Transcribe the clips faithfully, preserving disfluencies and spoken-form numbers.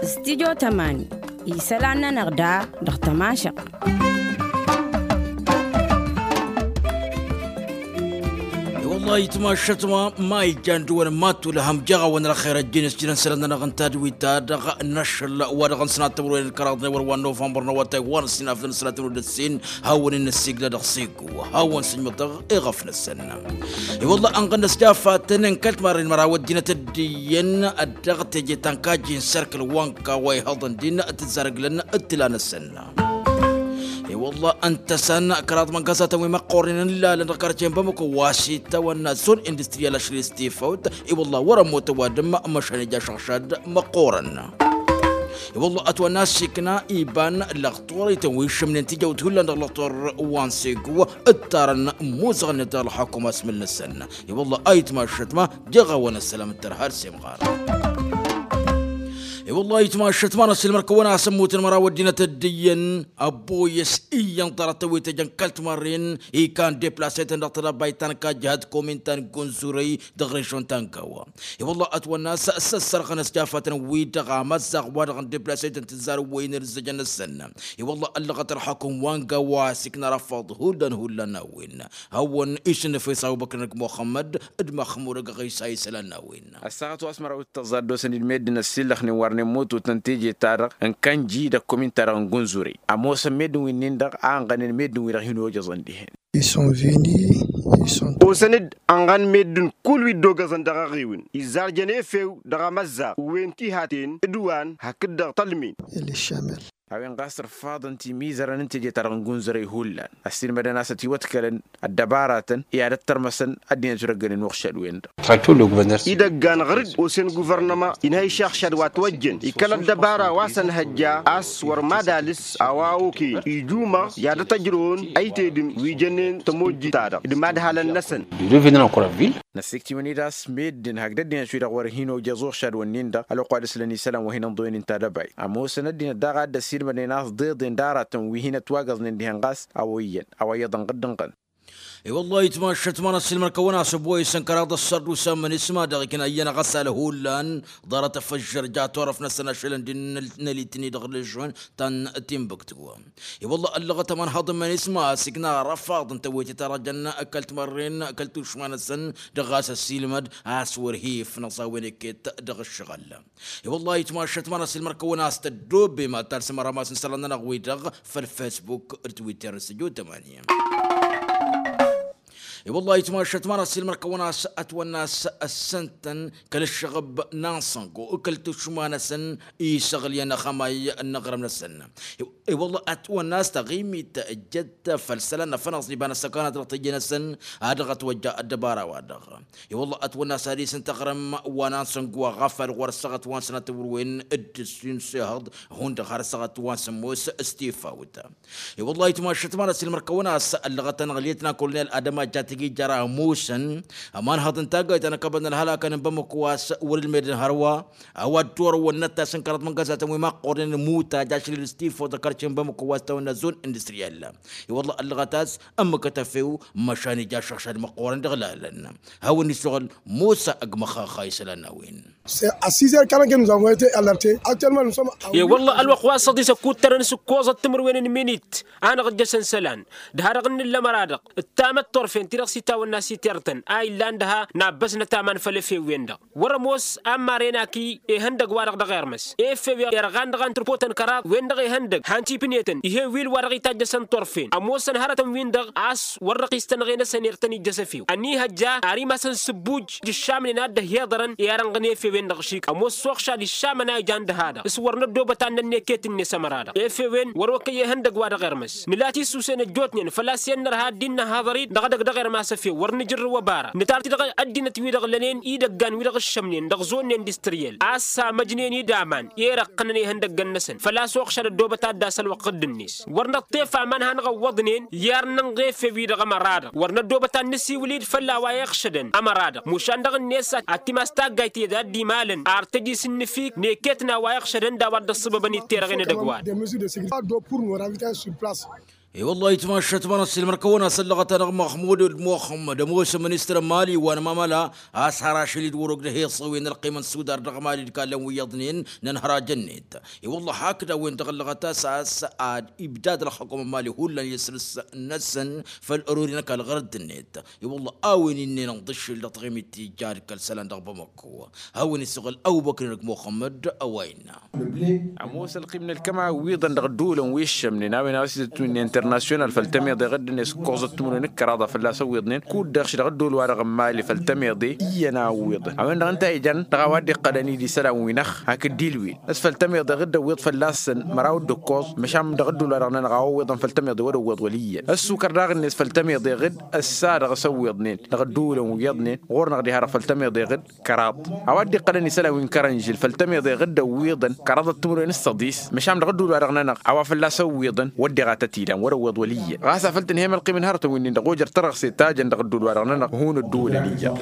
Stidyo tămani isălan-nănăɣ da dăɣ-tămašăɣt. I-wăllah itmašăt ma ma ijan dăɣ-wăn ma tulăhăm jăɣ-awăn ălxer ăjjin s-jilăn sălăn-nănăɣ n-tadwit-ta-dăɣ n-ašăl wa dăɣ-n sănatămăr-wen ălkăraḍ n-ewăr wa n-novămbăr n-awătay wa n-ăssinafdăn sănatămăr d-ăssin. Hawăn-in-năssiglădăɣ s-ego hawăn-sǝjmăḍăɣ i-ɣăf-năsăn. I-wăllah ănɣăn n-ăsjafatăn n-kăl-timarren măraw ăddinăt dd-iyyăn dăɣ-teje ta n-kajji n-serkǝl wa n-kawa ihăḍăn din tǝzzarăglăn d-tila-năsăn. I-wăllah ǝnta a-s an kăraḍ măngasatăn wi măqqoornen ǝllalăn dăɣ-karce n-bamăko wa s-itawănna zon industriyal ašăl i-s tifăwt. I-wăllah wăr-ămmut ăwadǝm măšan ija ašăɣšad măqqoorăn. I-wăllah ătwănna a-s ikna iba n-lăɣtor ităn wi išǝmnen tijăwt hullan dăɣ-lăɣtor wa n-sego ǝttarăn imuzăɣ-net dăɣ-ălxakum asmǝl-năsăn. I-wăllah a itmašăt ma jăɣ-awăn ăssălam d-tărha d-semɣar. I-wăllah a itmašăt ma n-ăsilmăr-kăwăn a-s ămmutăn măraw ăddinăt dd-iyyăn ăbboyăs iyyăn ḍarăt-tăn wi tăjăn kăl-timarren ikan deplasăytăn dăɣ-tădabay ta n-kajjăhăt komin ta n-gunzurăy dăɣ-režon ta n-gawa. I-wăllah ătwănna a-s săssărɣăn ăsjafatăn-wi-dăɣ amăzzaɣ wa dăɣ-n deplasăytăn tǝzzar ǝwwăynen ǝzzăjăn-năsăn. I-wăllah ăllăɣăt ălxakum wa n-gawa a-s ikna răfaḍ hullan hullan n-a-wen hawăn-išǝnnǝfes abubăkr n-ăgg muxămmăd d-măxmud ăgg ɣisa isălan n-a-wen. Ăssaɣăt wa s-măraw d-tăẓẓa ăddoosăn-dd meddǝn ăssillăxnen wărnen mututăn teje-ta-dăɣ n-kănji d-ăkkomin-ta-dăɣ n-gunzure. Ămoosăn meddǝn wi-nin-dăɣ a ănɣănen meddǝn-wi-dăɣ hin-ojăẓăn dihen. Osăn-dd ănɣăn meddǝn kull wi dd-ogăẓăn dăɣ-eɣewǝn izzarjăn efew dăɣ-amăzzaɣ wen tihaten d-wa n-hakd-dăɣ tălmin. A-wen ɣas ărfaḍăn timizărăn n-teje-ta-dăɣ n-gunzărăy hullan ăssiilmădăn a-s ătiwătkălăn ăddăbaratăn i-ad-ăttărmăsăn ăddinăt wi dăgg-ănnin uɣšad-wen-dăɣ. Idăggan ɣăr-dd osen guvărnăma inhăy išăɣšad wa ătwăjjăn ikăl ăddăbara wa s-ănhăjja a-s wăr mad-alǝs a-wa okăyăn ijumăɣ i-ad-ătăjrăwăn ăytedǝm wi jănnen tămojjit-ta-dăɣ d-imadhalăn-năsăn. Năssiktǝwăn-dd a-s meddǝn hakd ăddinăt-wi-dăɣ wăr hin-ojăẓ uɣšad-wǝnnin-dăɣ ălwăqq wa dăɣ-s lăn isălan wa hin-ǝnḍăynen tadăbayt ămoosăn ăddinăt daɣ a dd-ăsiilmădnen a-s ḍeḍen d-aratăn wi hin-ătwagăẓnen dihen ɣas a-wa iyyăn a-wa iyyăḍ ănɣăd-ǝnɣăn. I-wăllah itmašăt ma n-ăssiilmăr-kăwăn a-s ăboyăsăn kăraḍ ăssărdusa n-imănisma dăɣ-ikna iyyăn aɣăsal hullan ḍarăt ăfăžžăr ja turăf-năsăn ašălăn d-inălit-ni dăɣ-lăžžun ta n-timbuktu. I-wălla ăllăɣăt ămanhăḍ n-imănisma a-s ikna răfaḍ n-tewăyte ta dăɣ-jăn kăl-timărren kăl-tušma-năsăn dăɣ-ɣas ăssiilmăd a-s wăr hi-ifnăẓ a-wen iket dăɣ-ǝššăɣǝl. I-wălla itmašăt ma n-ăssiilmăr-kăwăn a-s tăddobe mad-talsăm arămas n-isălan-nănăɣ-wi-dăɣ făll-fesbuk d-twitter n-săjo tămani. I-wălla itmašăt ma n-ăssiilmăr-kăwăn a-s ătwănna a-s ăssăntăn kăl-ǝššăɣǝb n-ansăngo kăl-tušma-năsăn isăɣlǝyăn ăxămay n-aɣrǝm-năsăn. I-wălla ătwănna a-s taɣimit ǝjjăt făll-isălan n-afănaẓ n-iba n-ăssăkanăt dăɣ-teje-năsăn a dăɣ-ătwăjja ăddăbara-wa-dăɣ. I-wălla ătwănna a-s ad-isǝnta aɣrǝm wa n-ansăngo aɣăfal ɣur-ăssaɣăt wa n-sănatăwăr-wen dd-ǝssin s-ehăḍ hundăɣ har ăssaɣăt wa n-sămmos s-tifawt. I-wălla itmašăt ma n-ăssiilmăr-kăwăn a-s ăllăɣăt-anăɣ lietnan kolonel adăma jatigi jăr-a ămoosăn ămanhăḍ n-taggayt ta n-ăkkăbăd n-ălhălakăn n-bamăko a-s wăr-ǝlmedăn hărwa a-wa dd-turăwăn n-ăttas n-kăraḍ măngăzatăn wi măqqoornen ămuta jašlil s-tifawt ăkărce n-bamăko wa s-tawănna zon industriyal. I-wălla ăllăɣăt a-s ǝmmǝkăt efew măšan ija ašăɣšad măqqoorăn dăɣ-lalăn hawăn-isuɣǝl musa ăgg măxxaxa isălan n-a-wen. Ăssiiser kălănke nuzavun ete alărte aktelman nusăm. E-wălla ălwăqq wa s-ăḍis ăkkuttărăn s-ǝkkoẓăt timǝrwen n-iminit a năɣ-ǝjjăsăn isălan d-ha-dăɣ n-nǝllăm ara-dăɣ ǝttamăt turfen ti-dăɣ s-itawănna s-itertăn a illan d-ha n-abbăsnăt aman făll-efew-wen-dăɣ. Wăr-ămoos a n-maren aki ehăndăg-wa-dăɣ dăɣ-ermăs efew irɣan dăɣ-antǝrpotăn kăraḍ-wen-dăɣ ehăndăg han-t-ipnetăn ih'-e wil wa dăɣ-itajjăsăn turfen ămoosăn hărătăn-win-dăɣ a-s wăr-dăɣ-istănɣe-năsăn irtăn ijjăs efew ănihăjja ar imasăn s-ǝbbuj d-ǝššamnen a dd-ăhhiḍărăn i-ad-ănɣǝn efew-en-dăɣ šik ămoos s-uɣšad iššamăn a ijan d-ha-dăɣ s-wăr năddoobăt ad-nănn eket-net ămăra-dăɣ efew-en wăr-okăy ihăndăg wa dăɣ-ermăs nǝla tisusen ăjjootnen făl-a-s i-ănnărha ad-dd-innă haḍăr-dd dăɣ-edăgg dăɣ-ermas efew wăr nǝjǝrrǝw ăbara nǝtar-t dăɣ-ăddinăt-wi-dăɣ lănen idăggan-wi-dăɣ ǝššămnen dăɣ-zon n-industriyel a-s samăjnen-dd aman i-irăqqănăn ihăndăgg-năsăn făl-a-s uɣšad ăddoobăt ad-dd-asălwăqq dd-net wăr năṭṭef aman hanăɣ-ăwwăḍnen i-ar nănɣ efew-i-dăɣ ămăra-dăɣ wăr năddoobăt ad-nǝsiwǝl-dd făll-a-wa iɣšădăn ămăra-dăɣ mušan dăɣ-net ad-timas taggayt i-ad-dd-imalăn ar tăj-isǝnnǝfik n-eket n-a-wa iɣšădăn d-a-wa dd-ăṣṣăbăbăn itterăɣen edăgg-wa-dăɣ. I-wăllah itmašat ma n-ăssiilmăr kăwăn-asăllăɣăt-anăɣ măxmud d-muxămmăd ămoos ministăr n-mali wa n-mamăla a-s har ašăl-dd wăr-ogdăh iṣăwen ălqim n-sudar dăɣ-mali d-kallăn wi iyyăḍnen n-ănhăraj-net. I-wăllah hakd a-wen dăɣ-ăllăɣăt a-s a-s ad-ibdad ălxukum n-mali hullan isǝlǝs-năsăn făll-ărori n-ăkall ɣărădd-net. I-wăllah a-wen innenăɣ d-ǝššǝl dăɣ-taɣimit tijja d-kăl-isălan dăɣ-bamăkko. Hawăn-isuɣǝl ăbubăkr-inăg muxămmăd a-wa innă. Ămoos ălqim n-ălkăma wi iyyăḍăn dăɣ-ădduulăn wi ǝššămnen a-wen a-wa s-itǝtwǝnne internasyonal făll-tămiḍe ɣǝddǝnet ǝkkoẓăt timǝrwen d-kăraḍa fălla-s ăwwiḍnen kud-dăɣ šidăɣ ădduul-wa-dăɣ n-mali făll-tămiḍe iyyăn a ăwwiḍăn a-wen-dăɣ ǝnta a ijăn dăɣ-a-wa dd-iqqălăn idisălan-wi-năɣ hakd d-ilwil s-făll-tămiḍe ɣǝdd ăwwiḍ fălla-săn măraw d-ǝkkoẓ. Măšan dăɣ-ădduul-wa-dăɣ-nănăɣ a-wa ăwwiḍăn făll-tămiḍe wăr-ăwwiḍ wăl' iyyăn ăssukăr daɣ-net făll-tămiḍe ɣǝdd ăssa dăɣ-s ăwwiḍnen dăɣ-ădduulăn wi iyyăḍnen ɣur-năɣ diha-dăɣ făll-tămiḍe ɣǝdd kăraḍ. A-wa dd-iqqălăn isălan wi n-kărănžǝl făll-tămiḍe ɣǝdd ăwwiḍăn kăraḍăt timǝrwen s-săḍis. Măšan dăɣ-ădduul-wa-dăɣ-nănăɣ a-wa fălla-s ăwwiḍăn wăr deɣa tăt-ilan wăr-ăwwiḍ wăl' iyyăn ɣas afăl tǝnhăyăm ălqim n-hărătăn wi-nin-dăɣ ojăr tărăɣse tajăn dăɣ-ădduul-wa-dăɣ-nănăɣ hun ădduulăn iyyăḍ.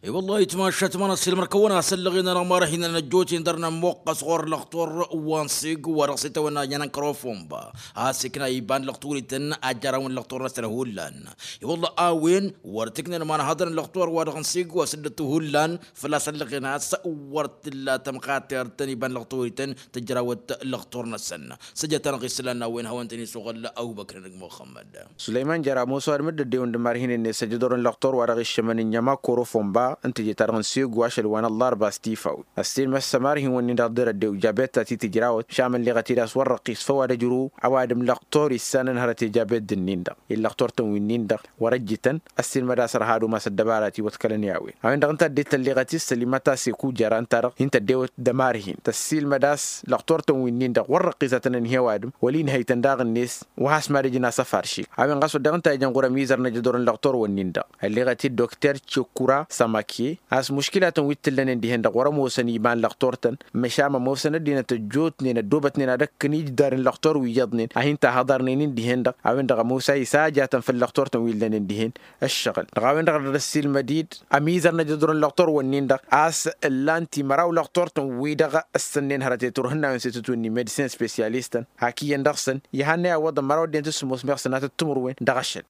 I-wăllah itmašat ma n-ăssiilmăr kăwăn-asăllăɣen-anăɣ ma răhinăn ăjjootnen dăr-nămmuqqăs ɣur-lăxtur wa n-sig wa dăɣ-s itawănna iyyăn n-kărofumba a-s ikna iba n-lăxturităn a jarawăn lăxtur-năsăn hullan. I-wăllah a-wen wăr t-ǝknen imanhăḍăn n-lăxtur wa dăɣ-n sig wa s-dd-ăttu hullan făl-a-s ăllăɣen a-s wăr t-tǝlla tămxatert n-iba n-lăxturităn tǝjrawăt lăxtur-năsăn. Săjăt-anăɣ isălan n-a-wen hawăn-tăn-isuɣǝl ăbubăkr-inăg muxămmăd. Sulăyman jer-ămoos ăwadǝm dd-ăddewăn d-imarhinen-net ăjădor n-lăxtor wa dăɣ-iššămăn n-inyăma korofomba ǝnta ije-ta-dăɣ n-segu ašăl wa n-ăllarba s-tifawt ăssiilmăd s-ămarhin-wǝnnin-dăɣ dd-răddew jabet ta t-tǝjrawăt šamălleɣăt-dd a-s wăr răqqis făw ad-ăjrǝw. Ăwadǝm lăxtor issanăn hărăt i-jabet d-ǝnnin-dăɣ illăxtor-tăn wi-nin-dăɣ wăr-ăjjǝtăn ăssiilmăd a-s ărha ad-umas ăddăbara ti wătkălăn i-a-wen a-wen-dăɣ ǝnta ăddinăt tălleɣăt-i s-sălimăt a-s i-kujăra ǝnta-dăɣ hin-tăddewăt d-ămarhin tăssiilmăd a-s lăxtor-tăn wi-nin-dăɣ wăr răqqisătăn ănhăy ăwadǝm wăla inhăy-tăn daɣ-net. Wa has-mad-ǝjǝn asăfar šik a-wen ɣas wădden ǝnta a ijăn ɣur-ămizăr n-ajădor n-lăxtor-wǝnnin-dăɣ ălleɣăt-dd dokter cekura sămake a-s muškilatăn wi t-ǝllănen dihen-dăɣ wăr-ămoosăn iba n-lăxtor-tăn. Măšan ămoosăn ăddinăt ăjjootnen ăddoobătnen ad-ăkkăn ijdar n-lăxtor wi iyyăḍnen a hin-tahăḍarnen-in dihen-dăɣ a-wen-dăɣ ămoos a isajatăn făll-lăxtor-tăn wi ǝllănen dihen ǝššăɣǝl dăɣ-a-wen-dăɣ dăr-ăssiilmăd-dd ămizăr n-ajădor n-lăxtor-wǝnnin-dăɣ a-s ǝllan-t i-măraw lăxtor-tăn wi-dăɣ ǝssǝnnen hărăt i-turhǝnnawen s-itǝtwǝnni medicin spesyalistăn hak iyyăn dăɣ-săn ihannăy a iwwăḍăn măraw ăddinăt s-sǝmmos meɣ sănatăt timǝrwen dăɣ-ašăl.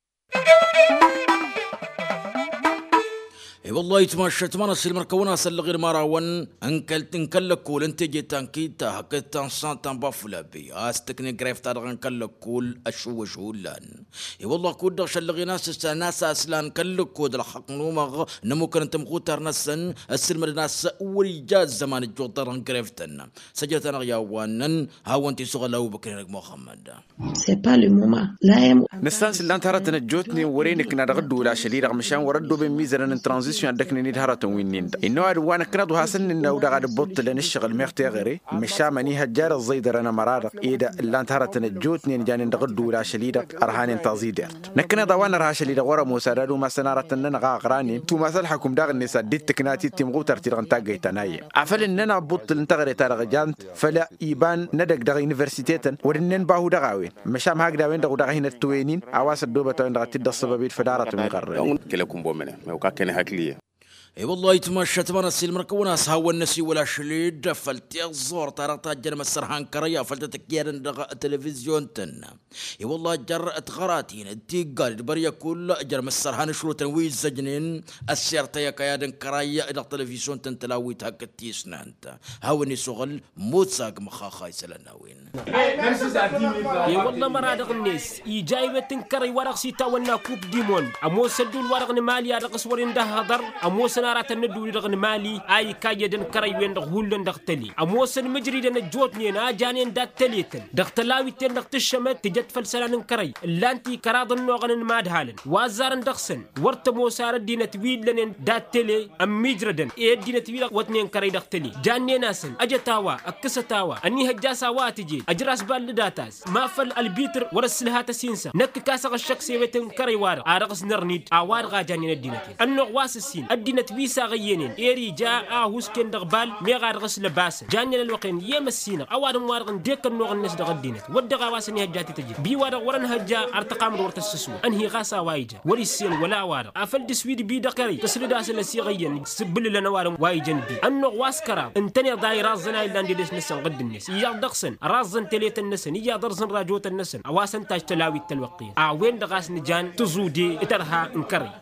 I-wăllah itmašat ma n-ăssiilmăr kăwăn-asăllăɣ i-dămarawăn n-kăl-lăkkol n-teje ta n-kita hakd ta n-sant ta n-bafulabi a-s tǝkne gref-ta-dăɣ n-kăl-lăkkol ăššuwăš hullan. I-wăllah kud-dăɣ šăllăɣen a-s ǝssan a-s aslan kăl-lăkkol d-ălxăqq n-umăɣ n-ămmukăn n-tamɣutar-năsăn ăssǝlmădăn a-s wăr-ija ăzzăman ăjjuḍ-ta-dăɣ n-gref-tăn. Săjdăt-anăɣ i-a-wa ǝnnăn hawăn-t-isuɣǝl ăbubăkr-inăg muxămmăd. Nǝssan s-ǝllan-t hărătăn ăjjootnen wăr-e nǝkna dăɣ-ǝddǝwǝl ašăl-i-dăɣ măšan wăr-ăddooben imizănăn n-tranzisyon a dd-ăknen-dd hărătăn wi-nin-dăɣ innă ăwadǝm wa nǝknăḍ wa hasăn-nǝnnăw daɣ ad-ǝbbuṭṭǝlăn ǝššăɣǝl meɣ teɣăre. Măšan mănihăjja d-ăẓẓăydărăn ămăra-dăɣ ed ǝllan-t hărătăn ăjjootnen janen dăɣ-ǝddǝwǝl ašăl-i-dăɣ ărhanen taẓidert. Năknăḍ a-wa nărha ašăl-i-dăɣ wăr-ămoos ad-ad-umasăn aratăn-nănăɣ a ăɣranen tumas ălxăkum daɣ-net ad-dd-tǝkna ti timɣutar-ti-dăɣ n-taggăyt ta n-ayyăn. Afăl ǝnnăn abbuttul n-teɣăre-ta-dăɣ jan făll-iba n-edăgg dăɣ-universitetăn wăr-ǝnnen bahu dăɣ-a-wen. Măšan hakd a-wen-dăɣ daɣ a hin-ăttăwen-in a-wa s-ăddoobăt a-wen-dăɣ a t-dd-ăṣṣăbăb-dd făll-aratăn wi ɣărrănen. Kăl-e-kǝnbomăne mewka kăne hakli-e. I-wăllah itmašat ma n-ăssiilmăr kăwăn-as hawăn-năsiwăl ašăl-dd făll-tiẓẓurt-ta-dăɣ tajjăn imăssărhan kărăy afăl tăt-ǝkyadăn dăɣ-televizyon-tăn. I-wăllah jer-tiɣăratin d-tiggal d-băryăkull jer-imăssărhan ašrutăn wi ǝzzăjnen ăssirtăy ăkayad n-kărăy dăɣ-televizyon-tăn tălawit hakd tisnant. Hawăn-isuɣǝl musa g-măxxaxa isălan n-a-wen. I-wălla măra-dăɣ-net ija iwet n-kărăy wa dăɣ-s itawănna kup dimond ămoos ădduul-wa-dăɣ n-mali a dăɣ-s wăren d-ăhhăḍăr. Ămoosăn aratăn n-ădduul-i-dăɣ n-mali a ikayyădăn kărăy-wen-dăɣ hullan dăɣ-tăle ămoosăn mǝjridăn ăjjootnen a janen dat-tăle-tăn dăɣ-tălawit-ten-dăɣ tǝššămăt tǝjăt făll-isălan n-kărăy. Ǝllan-t i-kăraḍ ănnuɣăn n-imadhalăn wa ăzzarăn dăɣ-săn. Wăr tămoos ar ăddinăt wi ǝllănen dat-tăle ămmiijrădăn i-ăddinăt-wi-dăɣ wătnen kărăy dăɣ-tăle. Jannen-asăn ăjăt a-wa ǝkkǝsăt a-wa ănihăjja a-s a-wa tǝjed ăjraš ballǝdat-as ma făll-ălbitr wăr-ăssǝlha tăsinsa năkk kasăɣ ăššăk s-ewet n-kărăy-wa-dăɣ a dăɣ-s nărnid a-wa-dăɣ a jannen ăddinăt-en ănnuɣ wa s-ǝssin ăddinăt. Wi s-aɣăyyănen eri ja ahusken dăɣ-bal meɣ a dăɣ-s lăbasăn jannen ălwăqq-en i-emăssinăɣ ăwadǝm-wa-dăɣ n-dekănnuɣ-net dăɣ-ăddinăt wăr dăɣ-a-wa s-ănihăjja tităjjit bi-wa-dăɣ wăr-ănhăjja ărtăqam-dd wăr tăssǝswăt ănhi ɣas a-wa ija wăr-issen wăla a-wa-dăɣ afăl dăr-s wi d-bi dăɣ-kărăy tǝslǝd-asăn ăsiɣăyyăn s-ǝbbǝlǝlăn ăwadǝm wa ijăn bi ănnuɣ wa s-kăraḍ ǝntăneḍ a iraẓẓăn a illan dedes-năsăn ɣǝdd-net iyyăḍ dăɣ-săn ăraẓẓăn teletăn-năsăn iyyăḍ ărẓǝn rajotăn-năsăn a-wa s-ăntaj tălawit tălwăqq-en a-wen-dăɣ a-s nǝjan tǝẓude d-tărha n-kărăy.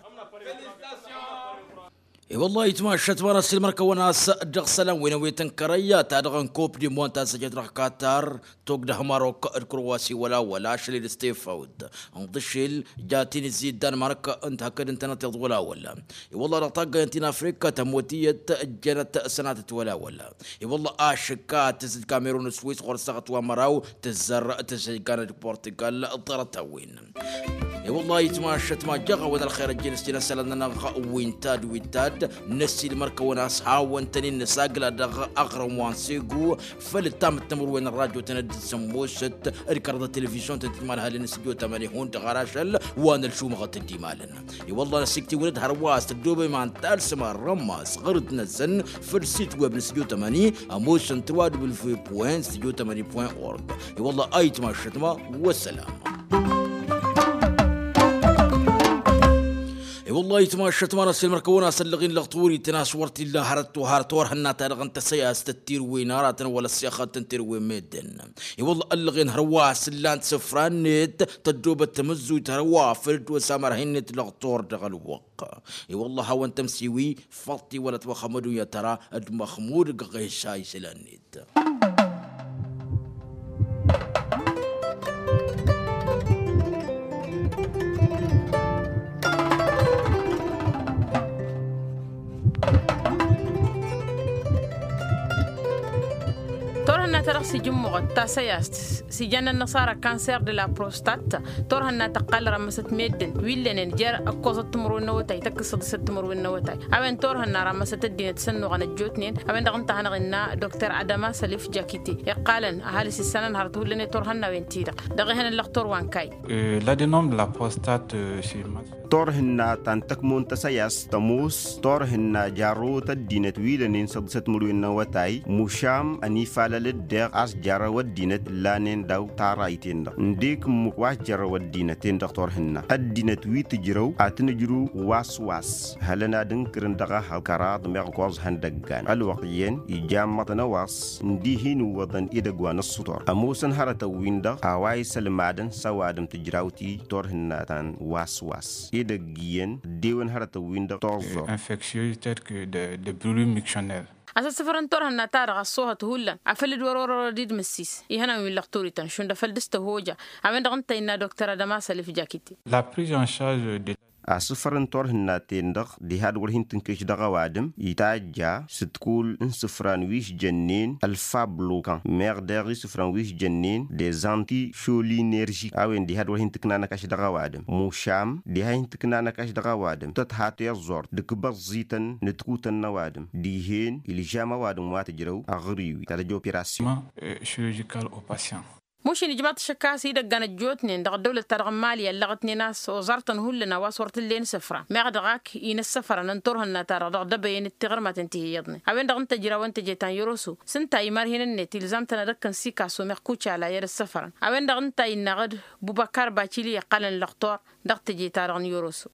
I-wălla-hi ayǝtmašat ma n-asǝlmăr-kăwăn a-s dăɣ-isălan wi n-ewetăn kărăy ta dăɣ-n kop di mont ta s-ăjăt dăɣ-katar togdăh marok d-kurwasi wăla-wăla ašăl-i d-stefawd ǝnḍǝšel ja tinǝzzi d-danmark ǝnta hakd ǝntănăt iḍ wăla-wăla. I-wălla-hi dăɣ-taggăyăn ti n-afrika tămut iyyăt ǝjjănăt sănatăt wăla-wăla. I-wălla-hi ašǝkka tǝzǝd kamerun d-swis ɣur-săɣăt wa măraw tǝzzăr tǝzǝd ganăt portugal ḍarăt-a-wen. I-wălla-hi ayǝtmašat ma jăɣ-awăn ălxer ăjjeen s-tinăsălăn-nănăɣ wi n-tad wi n-tad năsiilmăr-kăwăn a-s hawăn-tăn-in nǝsagla dăɣ-aɣrǝm wa n-segu făll-ǝttam d-timǝrwen n-rajotăn d-sămmosăt d-kăraḍ ătelevizyon-tăn tǝjmalhălăn s-tijo tămăni hundăɣ ar ašăl wa n-ălšumăɣăt d-imalăn. I-wălla-hi năsiktiwăn-dd hărwa a-s tăddoobem a ǝnta ălsǝm arrămas ɣur-dd-năsăn făll-sit web n-s tijo tămăni ămoosăn tǝrwa dubǝlvwe point s tijo tămăni point org. I-wălla-hi ayǝtmašat ma wăssălam. I-wălla-hi ayǝtmašat ma n-asǝlmăr-kăwăn a-s ăllăɣen lăɣ-tawărit n-a-s wăr t-illa hărăt wa har torhǝnna-ta-dăɣ n-tăsăyast ăttirwen aratăn wăla ăssixăt n-tirwen meddǝn. I-wălla-hi ăllăɣen hărwa a-s ǝllan-t isǝfra-net tăddoobăt tamǝzzuyt hărwa făl dd-osa mărha-net lăɣ-tor dăɣ-ălwăqq. I-wălla-hi a-wen tămsiwi făṭṭi wăla ătwăxxămădun i-ad-tăra d-măxmud găɣ-esa isălan-net. Turhǝnna-ta-dăɣ s-ijǝmmuɣăt tasăyast s-ijăn ănnăṣara cancer de la prostate. Turhǝnna tăqqal rămmăsăt meddǝn wi ǝllănen jer-ǝkkoẓăt timǝrwen n-awătay tăkk-s săḍisăt timǝrwen n-awătay. A-wen turhǝnna rămmăsăt ăddinăt s-ănnuɣăn ăjjootnen a-wen-dăɣ ǝnta a hanăɣ-innă dokter adama sălif jakite iqqalăn ăhalǝs issănăn hărăt hullan i-turhǝnnawen-ti-dăɣ dăɣ-ehăn ăllăɣ turwa n-kayy. L'adenome de la prostate. Turhǝnna ta n-tăkmo n-tasăyast tămoos turhǝnna jarrăwăt ăddinăt wi lănen săḍisăt timǝrwen n-awătay mušam ănifalăl-dd deɣ a-s jarrăw ăddinăt ǝllanen daw-tarayten-dăɣ ǝndek ǝmmǝk wa s-jarrăw ăddinăt-en-dăɣ turhǝnna ăddinăt wi tǝjrăw ad-tăn-ǝjrǝw was-was hălăn ad-ǝnkǝrǝn dăɣ-ehăḍ kăraḍ meɣ ǝkkoẓ ihăndăggan ălwăqq iyyăn ija ămmăḍăn ăwaḍs n-dihin ǝwwăḍăn edăgg wa n-ǝssǝtor ămoosăn hărătăn-win-dăɣ a-wa isălmadăn s-ăwadǝm tǝjrawt-i turhǝnna ta n-was-was edăgg iyyăn ăddewăn hărătăn-win-dăɣ toẓẓor. Infectieux tel que de brulus mictionnaire. A-s ăssǝfărăn turhǝnna-ta-dăɣ ăṣṣoohăt hullan afăl dd-wăr-wăr-wăr dd-mǝssis ihănan wi n-lăɣturităn šund afăl dăɣ-s tăhoja. A-wen-dăɣ ǝnta innă dokter adăma sălif jakite. La prise en charge de. Asǝfăr n-turhǝnna-ten-dăɣ diha d-wăr hin-tǝnkeš dăɣ-ăwadǝm itajja s-ǝdkul n-isǝfran wi s-jănnen ălfablokan meɣ deɣ isǝfran wi s-jănnen des antišolinerži a-wen diha d-wăr hin-tǝkna năkaš dăɣ-ăwadǝm mušam diha hin-tǝkna năkaš dăɣ-ăwadǝm tăt-ha tiẓẓurt dăgg-ibăẓẓităn n-ǝdkutăn n-ăwadǝm dihen ilžam ăwadǝm wa tǝjrăw aɣriwi ta tăj-operasyon. Chirurgical au patient. Mušin ijmaḍ-t ašăk a-s idăggan ăjjootnen dăɣ-ăddăwlăt-ta-dăɣ n-imali ăllăɣătnen a-s oẓartăn hullan a-wa s-wăr t-ǝllen isǝfra meɣ dăɣ-ak inăssăfărăn n-turhǝnna-ta-dăɣ dăɣ-dăbăyen d-tiɣǝrmaten ti hi-iyyăḍnen. A-wen-dăɣ ǝnta ǝjrawăn teje ta n-yăroso s-ǝnta imarhen-net ilzam-tăn ad-ăkkăn sikaso meɣ kucala i-ad-ăssăfărăn. A-wen-dăɣ ǝnta a innă aɣǝd bubăkar bacili iqqălăn lăɣtor dăɣ-teje-ta-dăɣ n-yăroso.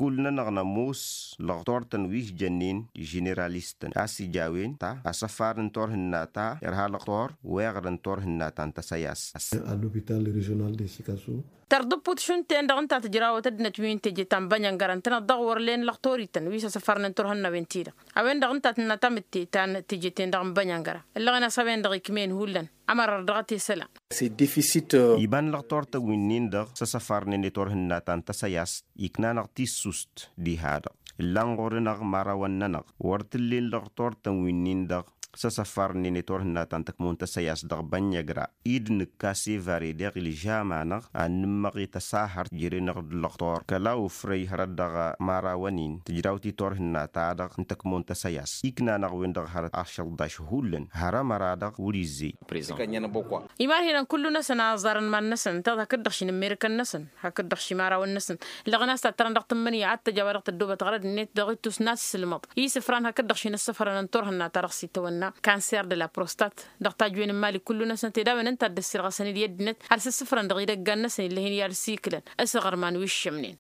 Kul-nănăɣ nămoos lăɣtor-tăn wi s-jănnen ženeralistăn a-s ija a-wen ta asăfar n-turhǝnna ta irha lăɣtor weɣrăn turhǝnna ta n-tăsăyas. Tărḍǝpput šund-ten-dăɣ ǝnta tǝjrawăt ăddinăt wi n-teje ta n-bănyăngăra ǝntăneḍ-dăɣ wăr len lăɣtorităn wi s-asăfarnen turhǝnnawen-ti-dăɣ. A-wen-dăɣ ǝnta tǝnna tamǝtte ta n-teje-ten-dăɣ n-bănyăngăra ǝllăɣen a-s a-wen-dăɣ ikm'-en hullan. Ămărăr dăɣ-t i-isălan. Iba n-lăɣtor-tăn wi-nin-dăɣ s-asăfarnen i-turhǝnna ta n-tăsăyast ikna-năɣ tissust diha-dăɣ ǝllan ɣur-nănăɣ imărawăn-nănăɣ wăr t-ǝllen lăɣtor-tăn wi-nin-dăɣ. S-asăffarnen i-turhǝnna ta n-tăkmon tăsăyas dăɣ-bănnăgra id nǝkka sevare deɣ ilžam-anăɣ ad-nǝmmăɣ i-tăsahărt jere-năɣ d-lăɣtor kăla ufrăy hărăt-dăɣ imărawăn-in tǝjrawt i-turhǝnna-ta-dăɣ n-tăkmon tăsăyas ikna-năɣ-wen-dăɣ hărăt ašălḍaš hullan hărămăra-dăɣ wăr-izzey. Imarhinăn kullu-năsăn a ẓarăn iman-năsăn ǝnta-dăɣ hakd-dăɣ ši n-ămmirikăn-năsăn hakd-dăɣ ši imărawăn-năsăn. Ǝllăɣăn a-s tattărăn dăɣ-tǝmmǝnǝya ad-tăj a-wa dăɣ-tăddoobăt ɣărăd-net dăɣ-ittus n-ad-sǝlmăḍ isǝfran hakd-dăɣ ši n-ăssăfrănăn turhǝnna-ta-dăɣ s-itawănna cancer de la prostat. Dăɣ-tajwen n-imali kullu-năsăn ted a-wen ǝnta a dd-ăssirɣăsăn-dd i-ăddinăt ad-sǝssǝfrăn dăɣ-idăggan-năsăn ill'-e-hin i-ad-siklăn s-aɣărman wi ǝššămnen.